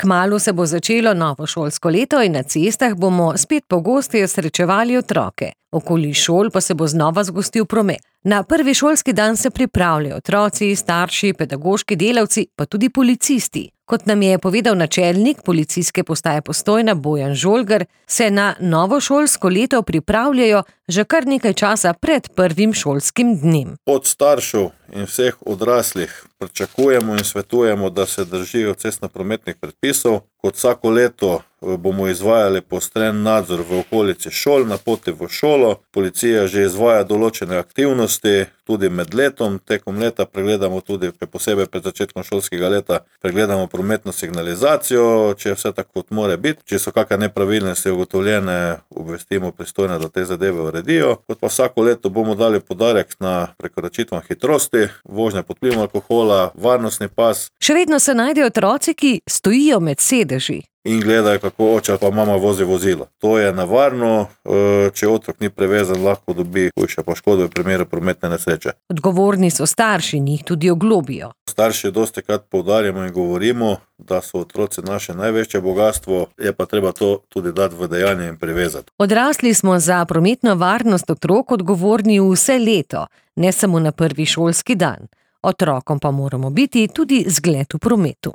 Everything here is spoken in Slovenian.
Kmalu se bo začelo novo šolsko leto in na cestah bomo spet pogosteje srečevali otroke. Okoli šol pa se bo znova zgostil promet. Na prvi šolski dan se pripravljajo otroci, starši, pedagoški delavci, pa tudi policisti. Kot nam je povedal načelnik policijske postaje Postojna Bojan Žolgar, se na novo šolsko leto pripravljajo že kar nekaj časa pred prvim šolskim dnem. Od staršev in vseh odraslih pričakujemo in svetujemo, da se držijo cestnoprometnih predpisov. Kot vsako leto bomo izvajali poostren nadzor v okolici šol, na poti v šolo. Policija že izvaja določene aktivnosti, tudi med letom. Tekom leta pregledamo tudi, posebej pred začetkom šolskega leta, pregledamo prometno signalizacijo, če je vse tako, kot mora biti. Če so kakšne nepravilnosti ugotovljene, obvestimo pristojne, da te zadeve uredijo. Kot pa vsako leto bomo dali poudarek na prekoračitvam hitrosti, vožnja pod vplivom alkohola, varnostni pas. Še vedno se najdejo otroci, ki stojijo med sedeži in gledajo, kako oče pa mama vozi vozilo. To je nevarno, če otrok ni prevezan, lahko dobi hujše poškodbe v primeru prometne nesreče. Odgovorni so starši in jih tudi oglobijo. Starši dostikrat poudarjamo in govorimo, da so otroci naše največje bogastvo, je pa treba to tudi dati v dejanje in privezati. Odrasli smo za prometno varnost otrok odgovorni vse leto, ne samo na prvi šolski dan. Otrokom pa moramo biti tudi zgled v prometu.